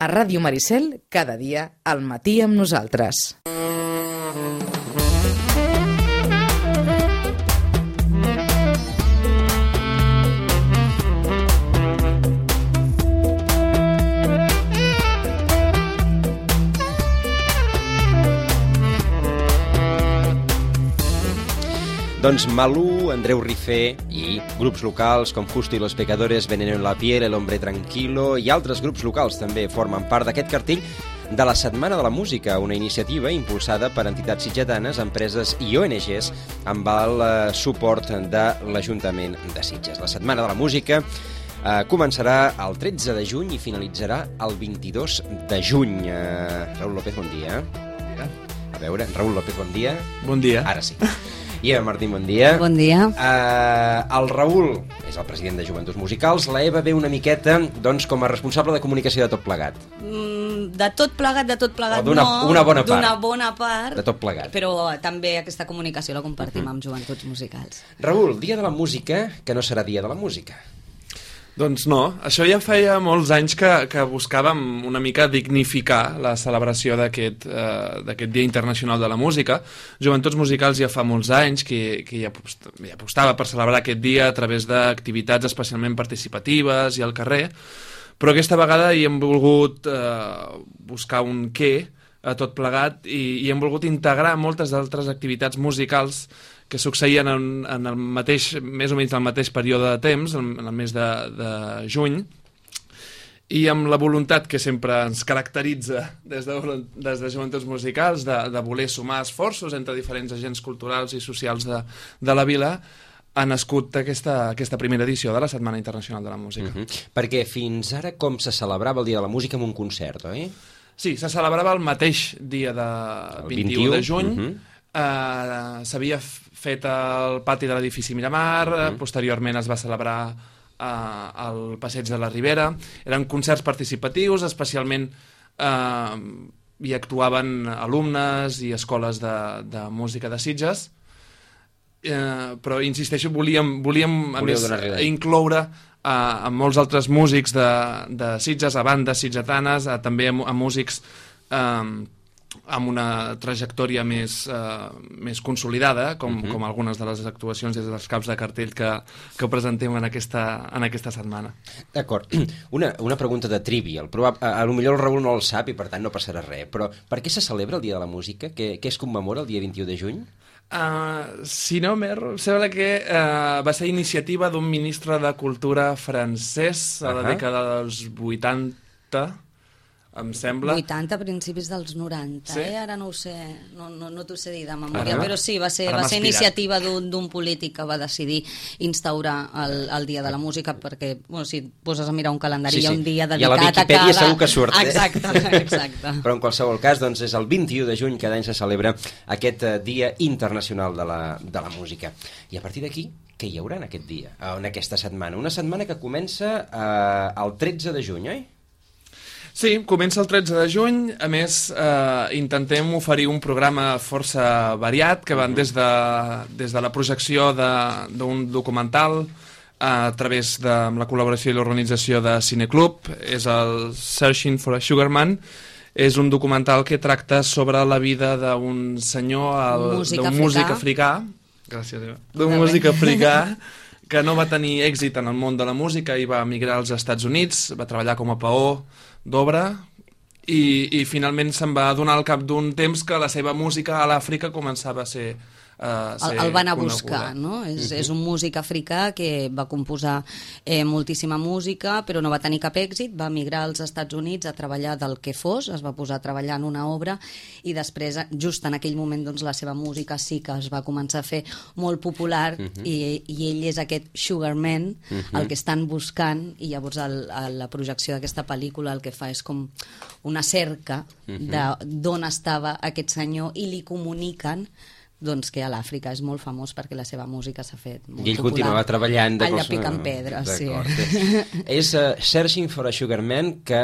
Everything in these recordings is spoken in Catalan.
A Ràdio Maricel, cada dia, al matí amb nosaltres. Doncs Malú, Andreu Rifé i grups locals com Justo y los Pecadores, Veneno en la piel, El hombre tranquilo i altres grups locals també formen part d'aquest cartell de la Setmana de la Música, una iniciativa impulsada per entitats sitgetanes, empreses i ONGs amb el suport de l'Ajuntament de Sitges. La Setmana de la Música començarà el 13 de juny i finalitzarà el 22 de juny. Raül López, bon dia. A veure, Raül López, bon dia. Bon dia. Ara sí. I Eva Martín, bon dia. Bon dia. El Raül és el president de Joventuts Musicals. La Eva ve una miqueta doncs, com a responsable de comunicació de tot plegat. De tot plegat o d'una bona part. D'una bona part. De tot plegat. Però també aquesta comunicació la compartim amb Joventuts Musicals. Raül, dia de la música, que no serà dia de la música. Doncs no, això ja feia molts anys que buscàvem una mica dignificar la celebració d'aquest Dia Internacional de la Música. Joventuts Musicals ja fa molts anys que ja apostava per celebrar aquest dia a través d'activitats especialment participatives i al carrer, però aquesta vegada hi hem volgut buscar un què a tot plegat i hem volgut integrar moltes d'altres activitats musicals que succeïen en el mateix, més o menys el mateix període de temps, en el mes de juny, i amb la voluntat que sempre ens caracteritza des de Joventuts Musicals de voler sumar esforços entre diferents agents culturals i socials de la vila, ha nascut aquesta primera edició de la Setmana Internacional de la Música. Perquè fins ara com se celebrava el Dia de la Música amb un concert, oi? Sí, se celebrava el mateix dia de 21 de juny, s'havia fet al pati de l'edifici Miramar, posteriorment es va celebrar al Passeig de la Ribera. Eren concerts participatius, especialment hi actuaven alumnes i escoles de música de Sitges, però insisteixo, volíem a més incloure a molts altres músics de Sitges, a bandes sitgetanes, també a músics amb una trajectòria més consolidada, com algunes de les actuacions des dels caps de cartell que presentem en aquesta setmana. D'acord. Una pregunta de trivial. Potser el Raül no el sap i per tant no passarà res, però per què se celebra el Dia de la Música? Què es commemora el dia 21 de juny? Si no m'erro, sembla que va ser iniciativa d'un ministre de Cultura francès a la dècada dels 80, em sembla. 80 a principis dels 90, sí? Ara no ho sé, no t'ho sé dir de memòria, però sí, va ser iniciativa d'un polític que va decidir instaurar el Dia de la Música, perquè, si et poses a mirar un calendari, hi ha un dia dedicat a cada... I a la Viquipèdia segur que surt. Exacte. Però en qualsevol cas, doncs, és el 21 de juny, cada any se celebra aquest Dia Internacional de la Música. I a partir d'aquí, què hi haurà en aquest dia, en aquesta setmana? Una setmana que comença el 13 de juny, oi? Sí, comença el 13 de juny. A més, intentem oferir un programa força variat, que van des de la projecció d'un documental a través de la col·laboració i l'organització de Cineclub. És el Searching for a Sugar Man. És un documental que tracta sobre la vida d'un senyor, d'un músic africà. Gràcies, Eva. D'un músic africà que no va tenir èxit en el món de la música i va emigrar als Estats Units, va treballar com a peó d'obra i finalment se'n va adonar al cap d'un temps que la seva música a l'Àfrica començava a ser el van a buscar, no? És un músic africà que va composar moltíssima música, però no va tenir cap èxit, va emigrar als Estats Units a treballar del que fos, es va posar a treballar en una obra i després, just en aquell moment, doncs, la seva música sí que es va començar a fer molt popular i ell és aquest Sugar Man, el que estan buscant, i llavors la projecció d'aquesta pel·lícula el que fa és com una cerca d'on estava aquest senyor i li comuniquen doncs que a l'Àfrica és molt famós perquè la seva música s'ha fet molt popular. I ell continuava treballant... Allà picant pedra, sí. És Searching for a Sugar Man, que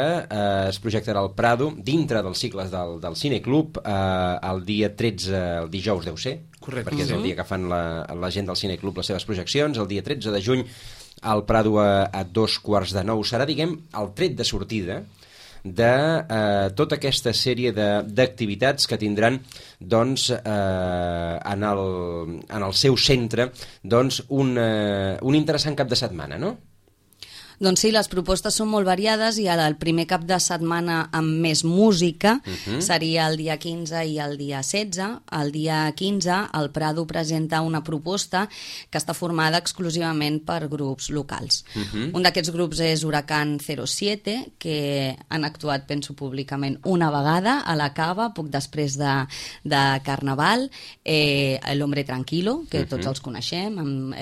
es projectarà al Prado, dintre dels cicles del Cineclub, el dia 13, el dijous deu ser, correcte, perquè és el dia que fan la gent del Cineclub les seves projeccions, el dia 13 de juny al Prado a 2:15 serà, diguem, el tret de sortida de tota aquesta sèrie d'activitats que tindran doncs, en el seu centre doncs, un interessant cap de setmana, no? Doncs sí, les propostes són molt variades i el primer cap de setmana amb més música seria el dia 15 i el dia 16. El dia 15 el Prado presenta una proposta que està formada exclusivament per grups locals. Un d'aquests grups és Huracán 07, que han actuat, penso, públicament una vegada a la Cava, poc després de Carnaval, El Hombre Tranquilo, que tots els coneixem, amb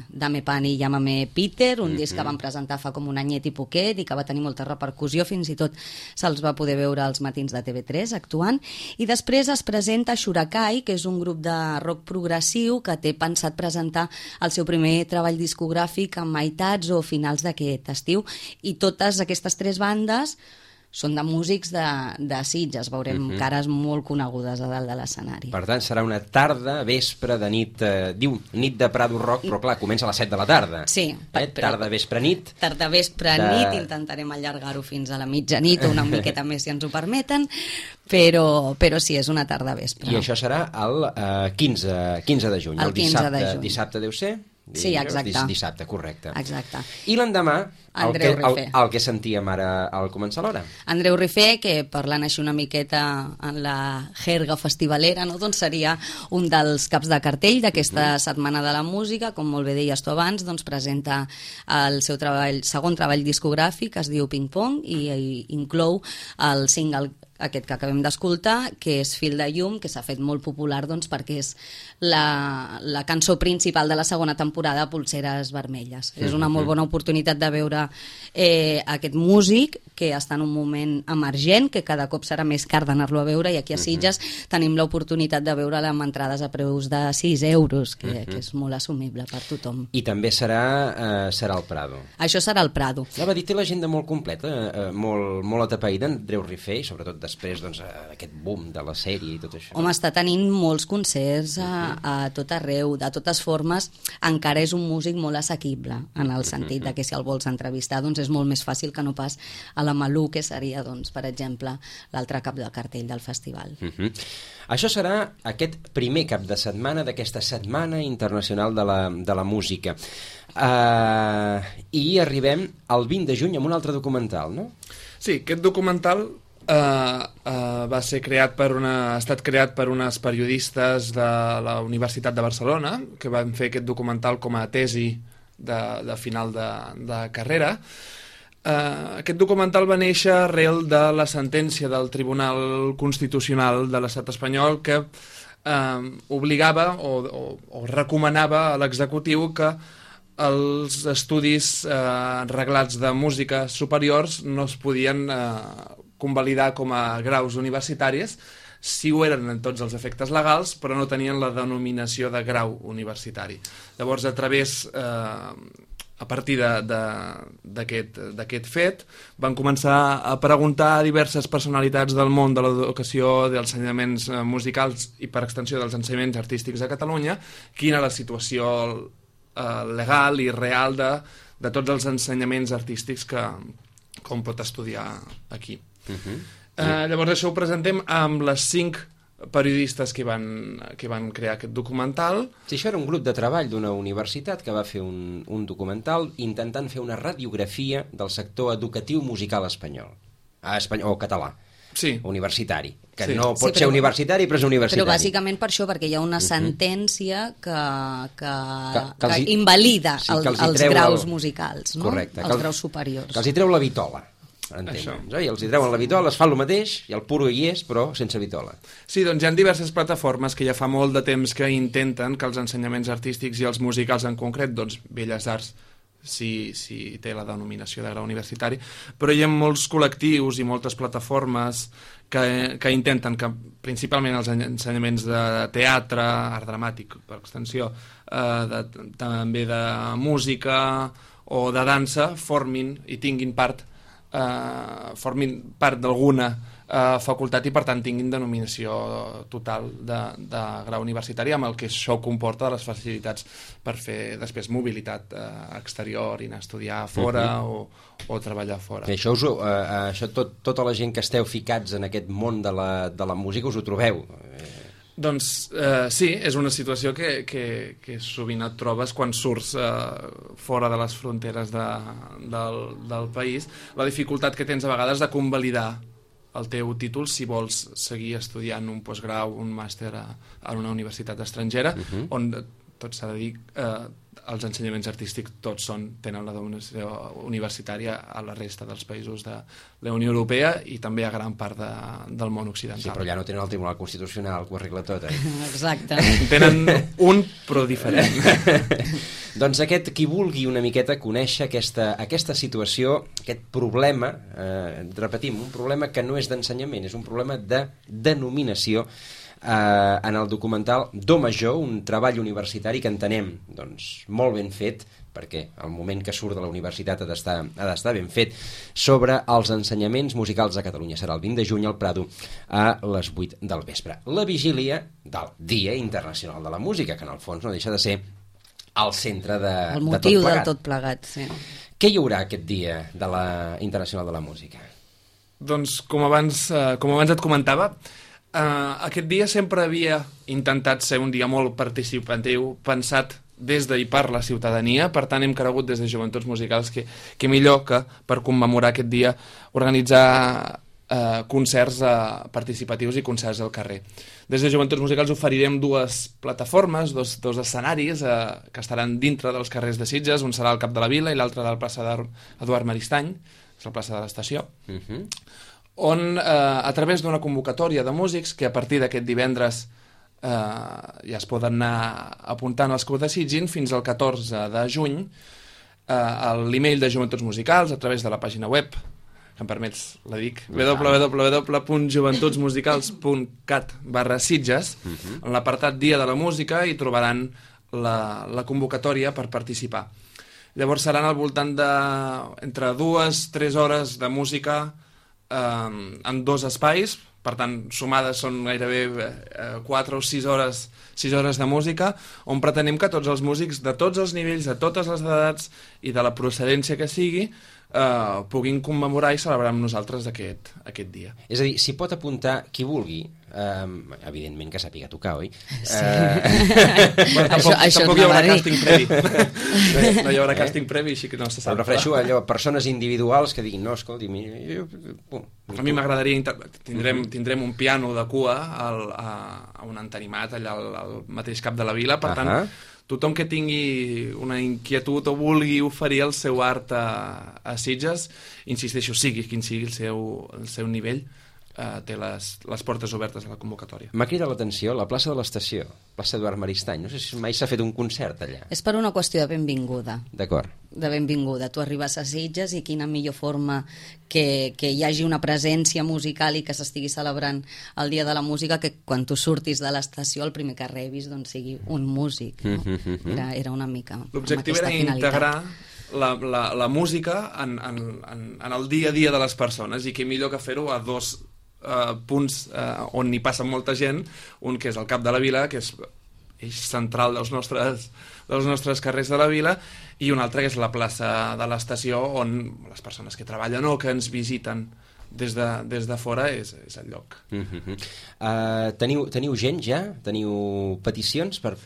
Dame Pan i Llámame Peter, un disc que van presentar fa com un anyet i poquet i que va tenir molta repercussió, fins i tot se'ls va poder veure als matins de TV3 actuant. I després es presenta Shurakai, que és un grup de rock progressiu que té pensat presentar el seu primer treball discogràfic a meitats o finals d'aquest estiu, i totes aquestes tres bandes són de músics de Sitges. Veurem cares molt conegudes a dalt de l'escenari. Per tant, serà una tarda, vespre de nit, diu nit de Prado Rock, però clar, comença a les 7 de la tarda. Sí. Tarda, vespre, nit. Tarda, vespre, nit, intentarem allargar-ho fins a la mitjanit o una miqueta més si ens ho permeten, però sí, és una tarda, vespre. I això serà el 15 de juny. El 15 de juny. Dissabte deu ser? Sí, exacte. Dissabte, correcte. Exacte. I l'endemà, el que sentíem ara al començar l'hora. Andreu Rifé, que parlant així una miqueta en la jerga festivalera, no? Doncs seria un dels caps de cartell d'aquesta Setmana de la Música. Com molt bé deies tu abans, doncs presenta el seu segon treball discogràfic, es diu Ping Pong, i inclou el single aquest que acabem d'escoltar, que és Fil de llum, que s'ha fet molt popular doncs, perquè és la cançó principal de la segona temporada, Polseres vermelles. És una molt bona oportunitat de veure aquest músic que està en un moment emergent, que cada cop serà més car d'anar-lo a veure, i aquí a Sitges tenim l'oportunitat de veure-la amb entrades a preus de 6 euros, que és molt assumible per tothom. I també serà al Prado. Això serà al Prado. Va dir, té l'agenda molt completa, molt atapeïda, Andreu Rifé, i sobretot després d'aquest boom de la sèrie i tot això. Home, està tenint molts concerts a tot arreu, de totes formes. Encara és un músic molt assequible, en el sentit de que si el vols entrevistar doncs és molt més fàcil que no pas a la Malú, que seria, doncs, per exemple, l'altre cap de cartell del festival. Això serà aquest primer cap de setmana d'aquesta Setmana Internacional de la Música. I arribem al 20 de juny amb un altre documental, no? Sí, aquest documental ha estat creat per unes periodistes de la Universitat de Barcelona, que van fer aquest documental com a tesi de final de carrera. Aquest documental va néixer arrel de la sentència del Tribunal Constitucional de l'Estat espanyol, que obligava o recomanava a l'executiu que els estudis reglats de música superiors no es podien convalidar com a graus universitaris si ho eren en tots els efectes legals, però no tenien la denominació de grau universitari. Llavors, a partir d'aquest fet, van començar a preguntar a diverses personalitats del món de l'educació, dels ensenyaments musicals i, per extensió, dels ensenyaments artístics a Catalunya, quina era la situació legal i real de tots els ensenyaments artístics que com pot estudiar aquí. Llavors això ho presentem amb les 5 periodistes que van crear aquest documental. Sí, això era un grup de treball d'una universitat que va fer un documental intentant fer una radiografia del sector educatiu musical espanyol, o català. Sí. Universitari, que no pot ser universitari, però és universitari. Però bàsicament per això, perquè hi ha una sentència que invalida els graus musicals, no? Correcte. Els graus superiors. Que els hi treu la vitola, entendre'ns. I els hi treuen la vitola, es fa el mateix, i el puro hi és, però sense vitola. Sí, doncs hi ha diverses plataformes que ja fa molt de temps que intenten que els ensenyaments artístics i els musicals en concret, doncs Belles Arts, si té la denominació de grau universitari, però hi ha molts col·lectius i moltes plataformes que intenten que principalment els ensenyaments de teatre, art dramàtic per extensió, també de música o de dansa formin part d'alguna facultat i per tant tinguin denominació total de grau universitari, amb el que això comporta les facilitats per fer després mobilitat exterior i anar a estudiar fora o treballar fora. I això, tota la gent que esteu ficats en aquest món de la música us ho trobeu? Doncs sí, és una situació que sovint et trobes quan surts fora de les fronteres del país, la dificultat que tens a vegades de convalidar el teu títol si vols seguir estudiant un postgrau, un màster en una universitat estrangera, on tot s'ha de dir, els ensenyaments artístics tots tenen la dominació universitària a la resta dels països de la Unió Europea i també a gran part del món occidental. Sí, però allà no tenen el Tribunal Constitucional que ho arregla tot, Exacte. Tenen un, però diferent. Doncs qui vulgui una miqueta conèixer aquesta situació, aquest problema, repetim, un problema que no és d'ensenyament, és un problema de denominació, en el documental Do Major, un treball universitari que entenem molt ben fet, perquè el moment que surt de la universitat ha d'estar ben fet, sobre els ensenyaments musicals a Catalunya. Serà el 20 de juny al Prado a les 8 del vespre. La vigília del Dia Internacional de la Música, que en el fons no deixa de ser el centre de tot plegat. El motiu del tot plegat, sí. Què hi haurà aquest Dia Internacional de la Música? Doncs, com abans et comentava, aquest dia sempre havia intentat ser un dia molt participatiu, pensat des de i per la ciutadania, per tant hem cregut des de Joventuts Musicals que millor que per commemorar aquest dia organitzar concerts participatius i concerts al carrer. Des de Joventuts Musicals oferirem dues plataformes, dos escenaris que estaran dintre dels carrers de Sitges, un serà al Cap de la Vila i l'altre de la plaça d'Eduard Maristany, és la plaça de l'Estació, on a través d'una convocatòria de músics que a partir d'aquest divendres ja es poden anar apuntant els que ho desitgin fins al 14 de juny a l'email de Joventuts Musicals a través de la pàgina web, que em permets, la dic, www.joventutsmusicals.cat/Sitges. En l'apartat Dia de la Música hi trobaran la convocatòria per participar. Llavors seran al voltant entre 2-3 hores de música en dos espais, per tant sumades són gairebé 4 o 6 hores de música, on pretenem que tots els músics de tots els nivells, de totes les edats i de la procedència que sigui puguin commemorar i celebrar amb nosaltres aquest dia. És a dir, s'hi pot apuntar qui vulgui, evidentment que sàpiga tocar, oi? Sí. Tampoc hi haurà càsting previ. No hi haurà càsting previ, així que no se sap. Em refereixo a allò, persones individuals que diguin, no, escolti... A mi m'agradaria... Tindrem un piano de cua a un entenimat allà al mateix Cap de la Vila, per tant, tothom que tingui una inquietud o vulgui oferir el seu art a Sitges, insisteixo, sigui quin sigui el seu nivell, té les portes obertes a la convocatòria. M'ha cridat l'atenció la plaça de l'Estació, plaça Eduard Maristany. No sé si mai s'ha fet un concert allà. És per una qüestió de benvinguda. D'acord. De benvinguda. Tu arribes a Sitges i quina millor forma que hi hagi una presència musical i que s'estigui celebrant el Dia de la Música que quan tu surtis de l'estació el primer que rebis sigui un músic. No? Era una mica l'objectiu era integrar la música en el dia a dia de les persones, i què millor que fer-ho a dos punts on hi passa molta gent, un que és el Cap de la Vila, que és eix central dels nostres carrers de la vila, i un altre que és la plaça de l'Estació, on les persones que treballen o que ens visiten des de fora és el lloc. Teniu gent ja? Teniu peticions per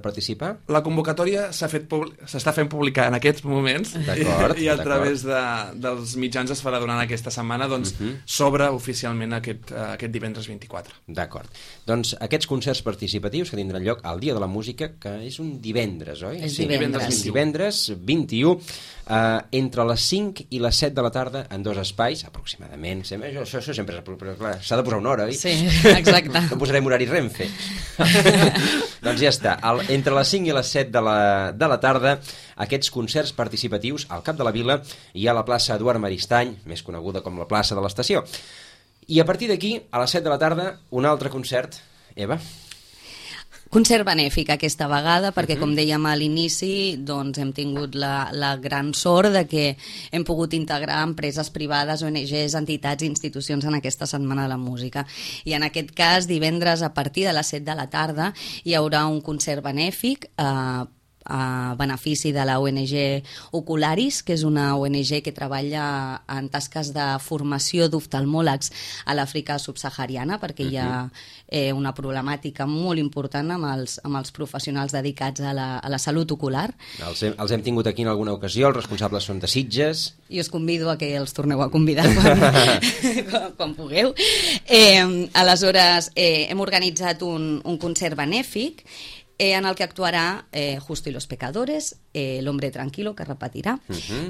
participar? La convocatòria s'està fent pública en aquests moments i a través dels mitjans es farà durant aquesta setmana, doncs s'obre oficialment aquest divendres 24. D'acord. Doncs aquests concerts participatius que tindran lloc al Dia de la Música, que és un divendres, oi? És divendres. Divendres 21, entre les 5 i les 7 de la tarda, en dos espais, aproximadament. Això sempre però clar, s'ha de posar una hora, oi? Sí, exacte. No posarem horari Renfe. Doncs ja està. Entre les 5 i les 7 de la tarda, aquests concerts participatius al Cap de la Vila i a la plaça Eduard Maristany, més coneguda com la plaça de l'Estació. I a partir d'aquí, a les 7 de la tarda, un altre concert. Eva? Concert benèfic aquesta vegada, perquè com dèiem a l'inici, doncs hem tingut la gran sort de que hem pogut integrar empreses privades, ONGs, entitats i institucions en aquesta Setmana de la Música. I en aquest cas, divendres a partir de les 7 de la tarda hi haurà un concert benèfic a benefici de la ONG Ocularis, que és una ONG que treballa en tasques de formació d'oftalmòlegs a l'Àfrica subsahariana, perquè hi ha una problemàtica molt important amb els professionals dedicats a la salut ocular. Els hem tingut aquí en alguna ocasió, els responsables són de Sitges. I us convido a que els torneu a convidar quan pugueu. Aleshores, hem organitzat un concert benèfic en el que actuarà Justo y los Pecadores, El Hombre Tranquilo, que repetirà,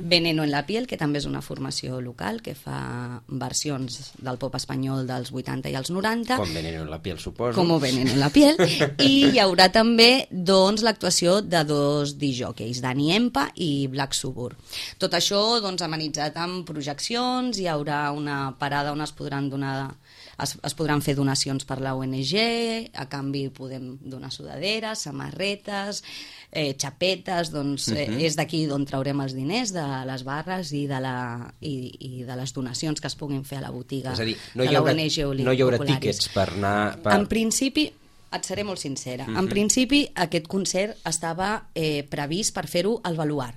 Veneno en la Piel, que també és una formació local que fa versions del pop espanyol dels 80 i els 90. Com Veneno en la Piel, suposo. Com Veneno en la Piel. I hi haurà també doncs, l'actuació de 2 disjòqueis, Dani Empa i Black Suburb. Tot això doncs, amenitzat amb projeccions, hi haurà una parada on es podran fer donacions per la ONG, a canvi podem donar sudaderes, samarretes, xapetes, doncs és d'aquí d'on traurem els diners, de les barres i de les donacions que es puguin fer a la botiga de la ONG Ocularis. No hi haurà tíquets per anar... En principi, et seré molt sincera, en principi aquest concert estava previst per fer-ho al Baluard,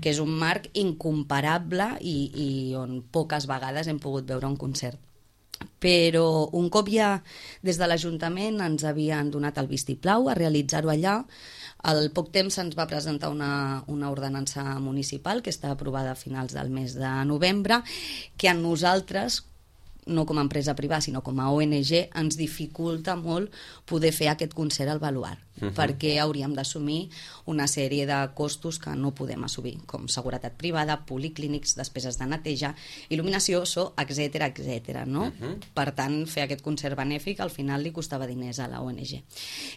que és un marc incomparable i on poques vegades hem pogut veure un concert. Però un cop ja des de l'Ajuntament ens havien donat el vistiplau a realitzar-ho allà, al poc temps se'ns va presentar una ordenança municipal que està aprovada a finals del mes de novembre, que a nosaltres, no com a empresa privada, sinó com a ONG, ens dificulta molt poder fer aquest concert al Baluard, perquè hauríem d'assumir una sèrie de costos que no podem assumir, com seguretat privada, policlínics, despeses de neteja, il·luminació, so, etc. No? Per tant, fer aquest concert benèfic al final li costava diners a la ONG.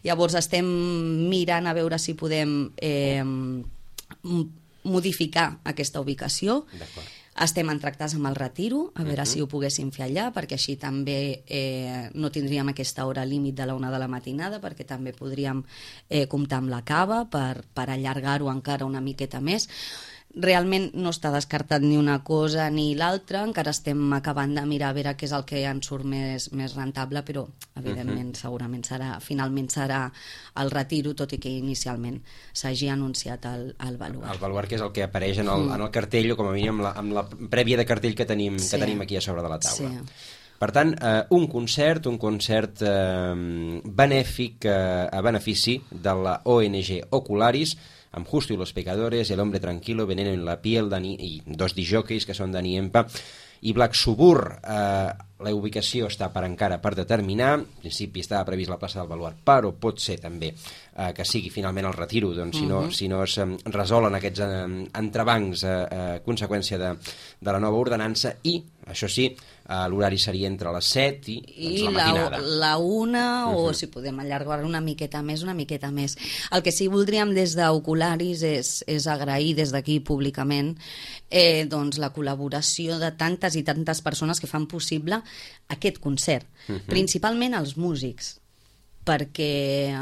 Llavors estem mirant a veure si podem modificar aquesta ubicació. D'acord. Estem en tractes amb el Retiro, a veure si ho poguéssim fer allà, perquè així també no tindríem aquesta hora límit de la 1 de la matinada, perquè també podríem comptar amb la cava per allargar-ho encara una miqueta més. Realment no està descartat ni una cosa ni l'altra, encara estem acabant de mirar a veure què és el que ens surt més rentable, però evidentment segurament finalment serà el Retiro, tot i que inicialment s'hagi anunciat el Baluard. El Baluard, que és el que apareix en el cartell, o com a mínim amb la prèvia de cartell que tenim aquí a sobre de la taula. Sí. Per tant, un concert benèfic a benefici de la ONG Ocularis, amb Justo y los Pecadores, El Hombre Tranquilo, Veneno en la Piel, i 2 disjòqueis que són Dani Empa i Black Suburb. La ubicació està encara per determinar. En principi estava previst la plaça del Baluard, però pot ser també que sigui finalment el Retiro, doncs, si no es resolen aquests entrebancs a conseqüència de la nova ordenança. I, això sí, l'horari seria entre les 7 i la matinada. La 1, o si podem allargar una miqueta més. El que sí voldríem des d'Ocularis és agrair des d'aquí públicament doncs la col·laboració de tantes i tantes persones que fan possible aquest concert, principalment els músics, perquè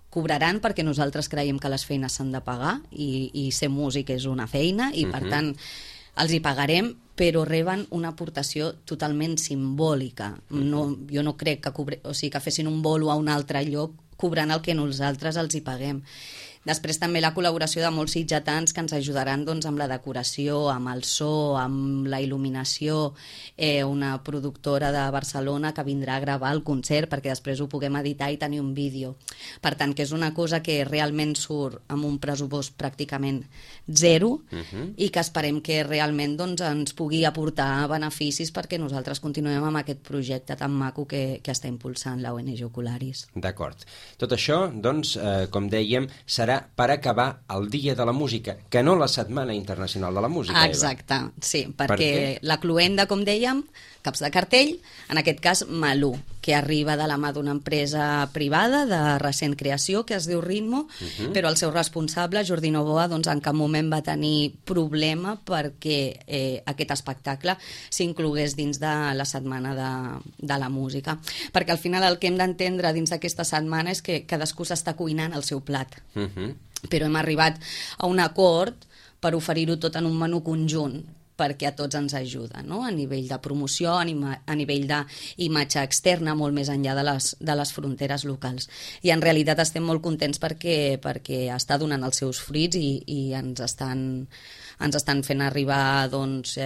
cobraran perquè nosaltres creiem que les feines s'han de pagar i ser músic és una feina i per tant els hi pagarem, però reben una aportació totalment simbòlica. Jo no crec que fessin un bolo a un altre lloc cobrant el que nosaltres els hi paguem. Després també la col·laboració de molts sitgetans que ens ajudaran doncs, amb la decoració, amb el so, amb la il·luminació, una productora de Barcelona que vindrà a gravar el concert perquè després ho puguem editar i tenir un vídeo. Per tant, que és una cosa que realment surt amb un pressupost pràcticament zero i que esperem que realment doncs, ens pugui aportar beneficis perquè nosaltres continuem amb aquest projecte tan maco que està impulsant la ONG Ocularis. D'acord. Tot això, doncs, com dèiem, serà per acabar el Dia de la Música, que no la Setmana Internacional de la Música. Exacte, sí, perquè la cloenda, com dèiem, caps de cartell, en aquest cas Malú. que arriba de la mà d'una empresa privada de recent creació que es diu Ritmo, però el seu responsable, Jordi Novoa, doncs en cap moment va tenir problema perquè aquest espectacle s'inclogués dins de la setmana de la música. Perquè al final el que hem d'entendre dins d'aquesta setmana és que cadascú s'està cuinant el seu plat. Però hem arribat a un acord per oferir-ho tot en un menú conjunt, perquè a tots ens ajuda, no? A nivell de promoció, a nivell d'imatge externa, molt més enllà de les fronteres locals. I en realitat estem molt contents perquè està donant els seus fruits i ens estan fent arribar doncs,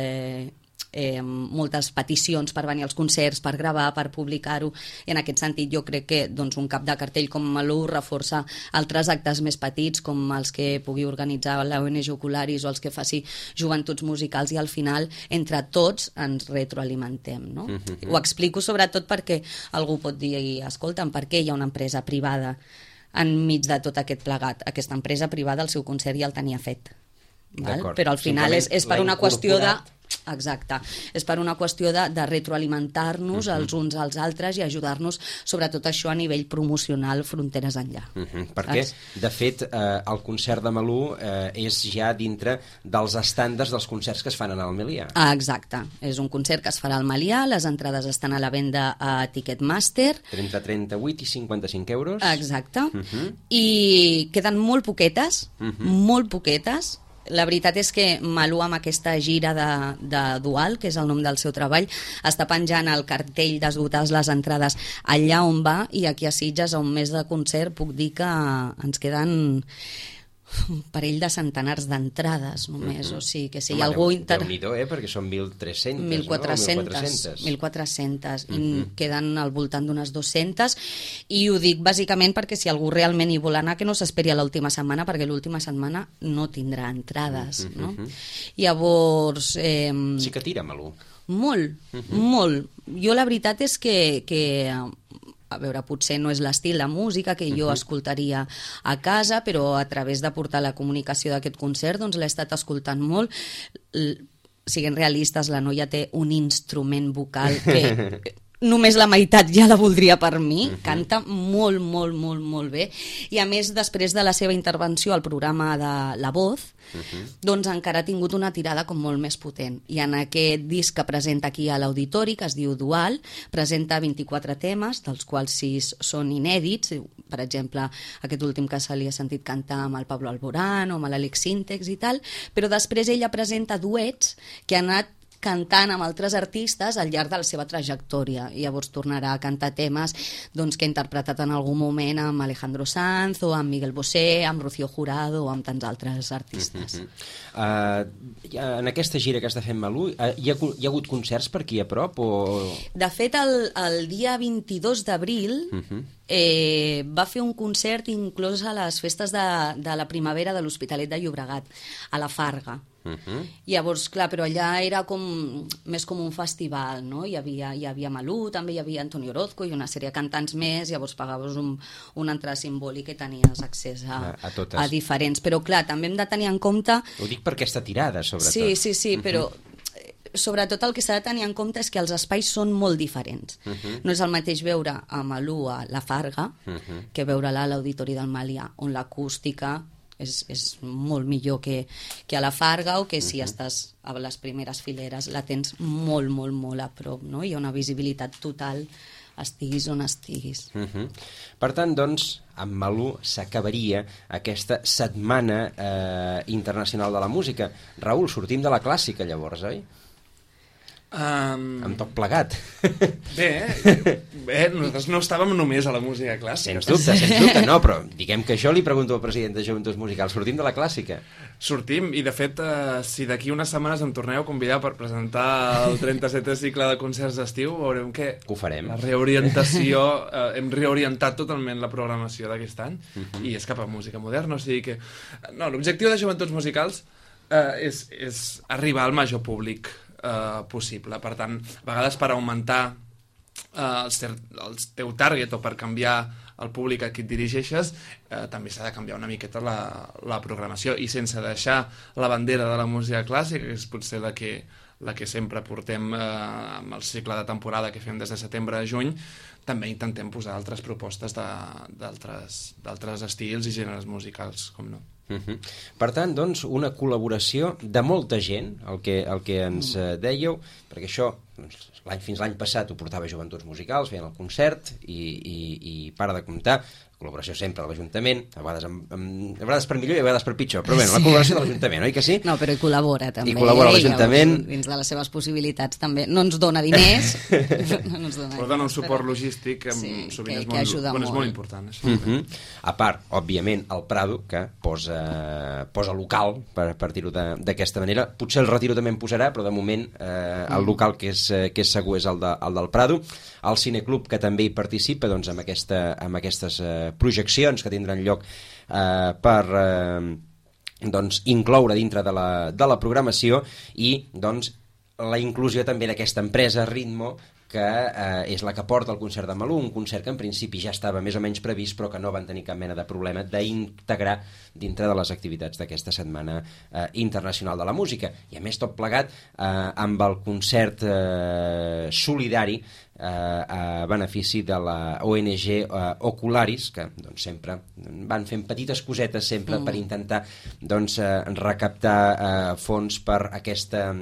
moltes peticions per venir als concerts, per gravar, per publicar-ho, i en aquest sentit jo crec que doncs, un cap de cartell com Malú reforça altres actes més petits com els que pugui organitzar la ONG Ocularis o els que faci Joventuts Musicals, i al final entre tots ens retroalimentem, no? Ho explico sobretot perquè algú pot dir, escolta'm, per què hi ha una empresa privada enmig de tot aquest plegat? Aquesta empresa privada el seu concert ja el tenia fet, val? Però al final és per una qüestió de... Exacte, és per una qüestió de retroalimentar-nos els uns als altres i ajudar-nos sobretot això a nivell promocional fronteres enllà. Perquè, de fet, el concert de Malú és ja dintre dels estàndards dels concerts que es fan al Melià. Exacte, és un concert que es farà al Melià, les entrades estan a la venda a Ticketmaster. Entre 38 i 55 euros. Exacte, i queden molt poquetes, molt poquetes. La veritat és que Malú, amb aquesta gira de Dual, que és el nom del seu treball, està penjant el cartell d'esgotar les entrades allà on va, i aquí a Sitges, a un mes de concert, puc dir que ens queden un parell de centenars d'entrades només, o sigui que si hi ha algú... Déu-n'hi-do, perquè són 1.300, 1.400, 1.400, i queden al voltant d'unes 200, i ho dic bàsicament perquè si algú realment hi vol anar, que no s'esperi a l'última setmana, perquè l'última setmana no tindrà entrades, no? Llavors... Sí que tira, Malú. Molt, molt. Jo la veritat és que a veure, potser no és l'estil de música que jo escoltaria a casa, però a través de portar la comunicació d'aquest concert doncs l'he estat escoltant molt. Siguent realistes, la noia té un instrument vocal que només la meitat ja la voldria per mi, canta molt, molt, molt, molt bé, i a més després de la seva intervenció al programa de La Voz, doncs encara ha tingut una tirada com molt més potent, i en aquest disc que presenta aquí a l'Auditori, que es diu Dual, presenta 24 temes, dels quals 6 són inèdits, per exemple aquest últim que se li ha sentit cantar amb el Pablo Alborán o amb l'Àlex Sintex i tal, però després ella presenta duets que han anat cantant amb altres artistes al llarg de la seva trajectòria, i llavors tornarà a cantar temes doncs, que ha interpretat en algun moment amb Alejandro Sanz o amb Miguel Bosé, amb Rocío Jurado o amb tants altres artistes. En aquesta gira que està fent Malú, hi ha hagut concerts per aquí a prop? De fet, el dia 22 d'abril va fer un concert inclòs a les festes de la primavera de l'Hospitalet de Llobregat, a la Farga. Llavors, clar, però allà era més com un festival, no? Hi havia Malú, també hi havia Antonio Orozco i una sèrie de cantants més, llavors pagaves una entrada simbòlica i tenies accés a diferents. Però clar, també hem de tenir en compte... Ho dic per aquesta tirada, sobretot. Sí, però sobretot el que s'ha de tenir en compte és que els espais són molt diferents. No és el mateix veure a Malú a la Farga que veure-la a l'Auditori del Melià, on l'acústica és molt millor que a la Farga, o que si estàs a les primeres fileres la tens molt, molt, molt a prop, no? Hi ha una visibilitat total, estiguis on estiguis. Per tant, doncs, amb Malú s'acabaria aquesta setmana internacional de la música. Raül, sortim de la clàssica llavors, oi? Amb tot plegat. Bé, nosaltres no estàvem només a la música clàssica. Sens dubte, no, però diguem que jo li pregunto al president de Joventuts Musicals, sortim de la clàssica? Sortim, i de fet, si d'aquí unes setmanes em torneu a convidar per presentar el 37è cicle de concerts d'estiu, veurem que ho farem. La reorientació, hem reorientat totalment la programació d'aquest any, i és cap a música moderna, o sigui que... No, l'objectiu de Joventuts Musicals és arribar al major públic possible. Per tant, a vegades per augmentar el teu target o per canviar el públic a qui et dirigeixes, també s'ha de canviar una miqueta la programació, i sense deixar la bandera de la música clàssica, que és potser la que la que sempre portem amb el cicle de temporada que fem des de setembre a juny, també intentem posar altres propostes d'altres estils i gèneres musicals, com no. Per tant, doncs, una col·laboració de molta gent, el que ens dèieu, perquè això fins l'any passat ho portava Joventuts Musicals, feien el concert i para de comptar, col·laboració sempre de l'Ajuntament, a vegades per millor i a vegades per pitjor, però bé, la col·laboració de l'Ajuntament, oi que sí? No, però hi col·labora també. I col·labora l'Ajuntament. Dins de les seves possibilitats també. No ens dona diners, però dona un suport logístic sovint és molt important. A part, òbviament, el Prado, que posa local, per dir-ho d'aquesta manera. Potser el Retiro també en posarà, però de moment el local que és segur és el del Prado. El Cineclub, que també hi participa doncs, amb aquestes projeccions que tindran lloc per doncs, incloure dintre de la programació i doncs, la inclusió també d'aquesta empresa Ritmo, que és la que porta el concert de Malú, un concert que en principi ja estava més o menys previst però que no van tenir cap mena de problema d'integrar dintre de les activitats d'aquesta Setmana Internacional de la Música. I a més tot plegat amb el concert solidari a benefici de la ONG Ocularis, que doncs, sempre van fent petites cosetes sempre per intentar doncs, recaptar fons per aquesta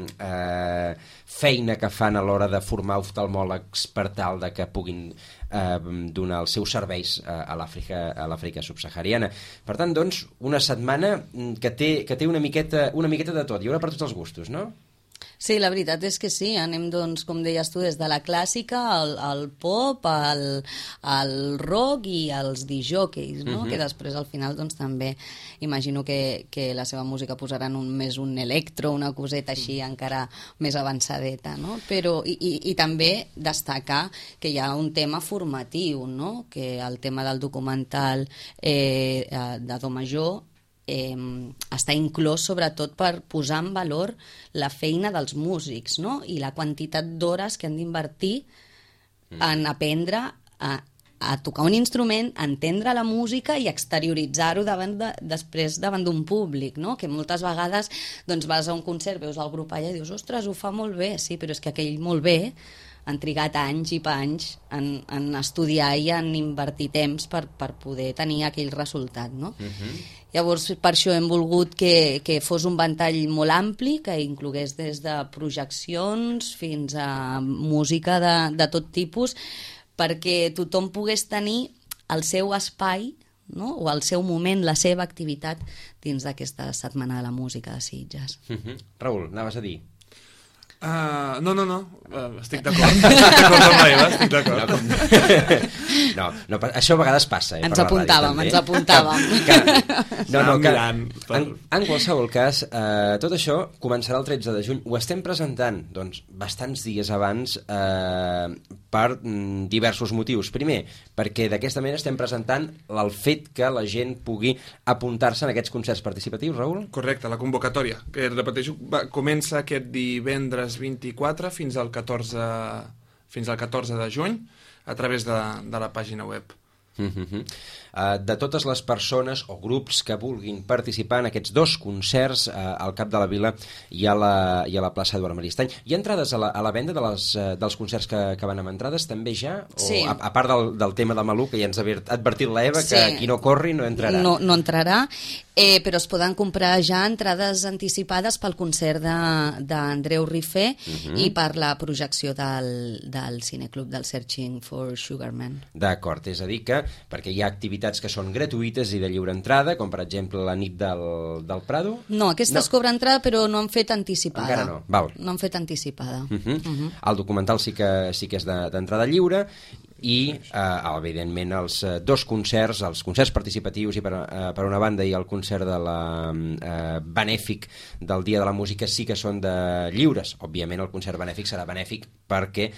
feina que fan a l'hora de formar oftalmòlegs per tal de que puguin donar els seus serveis a l'Àfrica subsahariana. Per tant, doncs, una setmana que té una miqueta de tot. Hi haurà per tots els gustos, no? Sí, la veritat és que sí, anem, doncs, com deies tu, des de la clàssica al pop, al rock i als disjòqueis, no? Que després al final doncs, també imagino que la seva música posaran més un electro, una coseta així encara més avançadeta, no? Però, i també destacar que hi ha un tema formatiu, no? Que el tema del documental de Do Major està inclòs sobretot per posar en valor la feina dels músics, no? I la quantitat d'hores que han d'invertir en aprendre a tocar un instrument, a entendre la música i exterioritzar-ho després davant d'un públic, no? Que moltes vegades doncs, vas a un concert, veus el grup allà i dius, ostres, ho fa molt bé, sí, però és que aquell molt bé han trigat anys i panys en estudiar i en invertir temps per poder tenir aquell resultat, no? Llavors, per això hem volgut que fos un ventall molt ampli, que inclogués des de projeccions fins a música de tot tipus, perquè tothom pogués tenir el seu espai, no? O el seu moment, la seva activitat dins d'aquesta Setmana de la Música de Sitges. Raül, anaves a dir? No, estic d'acord. Estic d'acord. No, això a vegades passa. Ens apuntàvem. En qualsevol cas, tot això començarà el 13 de juny. Ho estem presentant doncs, bastants dies abans per diversos motius. Primer, perquè d'aquesta manera estem presentant el fet que la gent pugui apuntar-se en aquests concerts participatius, Raül? Correcte, la convocatòria, que repeteixo, comença aquest divendres 24 fins al 14 de juny a través de la pàgina web. De totes les persones o grups que vulguin participar en aquests dos concerts al Cap de la Vila i a la plaça Eduard Maristany. Hi ha entrades a la venda dels concerts que van amb entrades també ja? Sí. O, a part del tema de Malú, que ja ens ha advertit l'Eva, que qui no corri no entrarà. No entrarà, però es poden comprar ja entrades anticipades pel concert d'Andreu Rifé i per la projecció del Cineclub del Searching for Sugarman. D'acord, és a dir que perquè hi ha activitats que són gratuïtes i de lliure entrada, com per exemple la nit del Prado. No, aquestes cobren entrada però no han fet anticipada. Encara no, val. No han fet anticipada. El documental sí que és d'entrada lliure i, evidentment, els dos concerts, els concerts participatius i per una banda i el concert de la benèfic del Dia de la Música sí que són lliures. Òbviament el concert benèfic serà benèfic perquè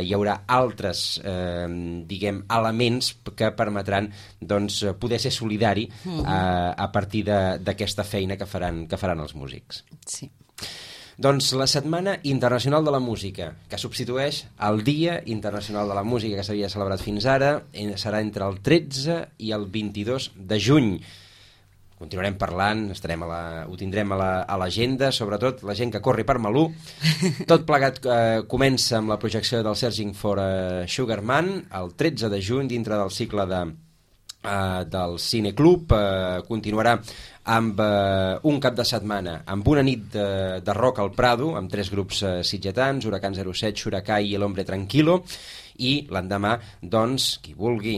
hi haurà altres elements que permetran doncs, poder ser solidari a partir d'aquesta feina que faran els músics. Sí. Doncs la Setmana Internacional de la Música, que substitueix el Dia Internacional de la Música que s'havia celebrat fins ara, serà entre el 13 i el 22 de juny. continuarem parlant, ho tindrem a l'agenda, sobretot la gent que corri per Malú. Tot plegat comença amb la projecció del Searching for a Sugar Man el 13 de juny dintre del cicle del Cineclub. Continuarà amb un cap de setmana, amb una nit de rock al Prado, amb 3 grups sitgetans, Huracán 07, Xuracai i El Hombre Tranquilo, i l'endemà, doncs, qui vulgui,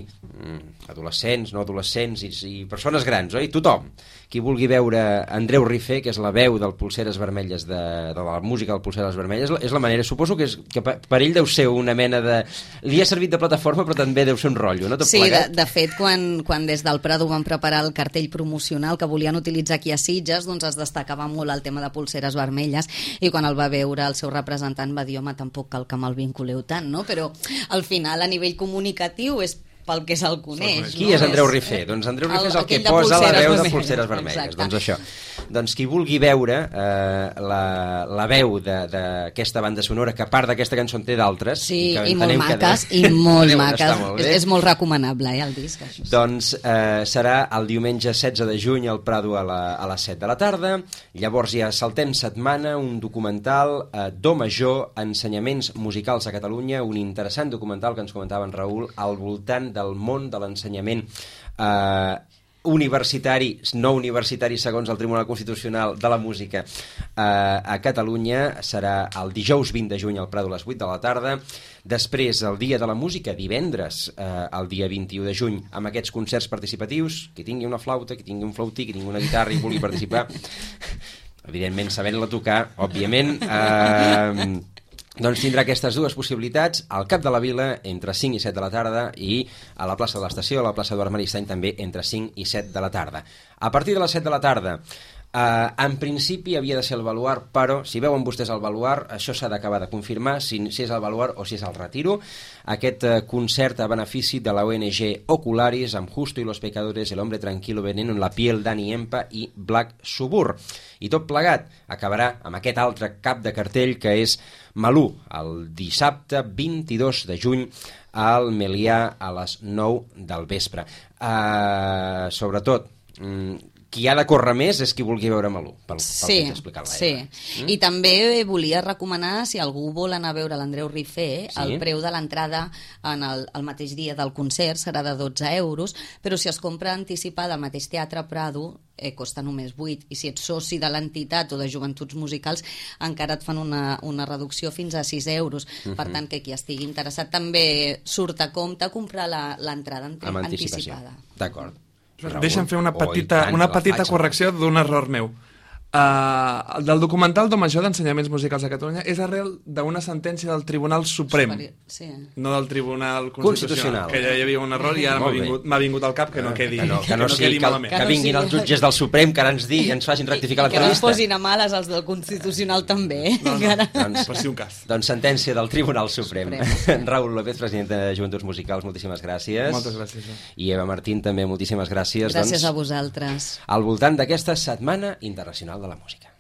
adolescents, no adolescents i persones grans, oi? Tothom, qui vulgui veure Andreu Rifé, que és la veu del Polseres Vermelles, de la música del Polseres Vermelles, és la manera, suposo que per ell deu ser una mena de... Li ha servit de plataforma, però també deu ser un rotllo, no? Sí, de fet, quan des del Prado van preparar el cartell promocional que volien utilitzar aquí a Sitges, doncs es destacava molt el tema de Polseres Vermelles, i quan el va veure el seu representant va dir, home, tampoc cal que me'l vinculeu tant, no? Però al final, a nivell comunicatiu, és pel que se'l coneix. Qui és Andreu Rifé? Doncs Andreu Rifé és el que posa la veu de Polseres Vermelles. Doncs això. Doncs qui vulgui veure la veu d'aquesta banda sonora, que a part d'aquesta cançó en té d'altres... Sí, i molt maques, i molt maques. És molt recomanable, el disc. Doncs serà el diumenge 16 de juny al Prado a les 7 de la tarda. Llavors ja saltem setmana, un documental Do Major, ensenyaments musicals a Catalunya, un interessant documental que ens comentava en Raül al voltant del món de l'ensenyament universitari, no universitari segons el Tribunal Constitucional de la Música a Catalunya. Serà el dijous 20 de juny al Prado a les 8 de la tarda. Després, el Dia de la Música, divendres, el dia 21 de juny, amb aquests concerts participatius. Qui tingui una flauta, qui tingui un flautí, qui tingui una guitarra i vulgui participar, evidentment sabent-la tocar, òbviament, doncs tindrà aquestes dues possibilitats al Cap de la Vila entre 5 i 7 de la tarda i a la plaça de l'Estació, a la plaça d'Arc Maristany també entre 5 i 7 de la tarda. A partir de les 7 de la tarda, en principi havia de ser el Baluard, però si veuen vostès el Baluard, això s'ha d'acabar de confirmar si és el Baluard o si és el Retiro. Aquest concert a benefici de la ONG Ocularis amb Justo y los Pecadores, El Hombre Tranquilo, Veneno en la Piel, Dani Empa i Black Suburb. I tot plegat acabarà amb aquest altre cap de cartell que és Malú, el dissabte 22 de juny al Melià a les 9 del vespre. Sobretot, qui ha de córrer més és qui vulgui veure Malú, pel que t'he explicat l'Aina. Sí, i també volia recomanar, si algú vol anar a veure l'Andreu Rifé, el preu de l'entrada en el mateix dia del concert serà de 12 euros, però si es compra anticipada al mateix Teatre Prado, costa només 8, i si ets soci de l'entitat o de joventuts musicals encara et fan una reducció fins a 6 euros. Per tant, que qui estigui interessat també surt a compte comprar l'entrada anticipada. D'acord. Deixa'm fer una petita correcció d'un error meu. Del documental Do Major d'ensenyaments musicals a Catalunya és arrel d'una sentència del Tribunal Suprem, no del Tribunal Constitucional, que ja hi havia un error i ara m'ha vingut al cap que no quedi malament. Que vinguin els jutges del Suprem que ara ens facin rectificar l'entrevista. Que no posin a males els del Constitucional també. Per si un cas. Doncs sentència del Tribunal Suprem. Raül López, president de Joventuts Musicals, moltíssimes gràcies. Moltes gràcies. I Eva Martín també, moltíssimes gràcies. Gràcies a vosaltres. Al voltant d'aquesta Setmana Internacional de la Música.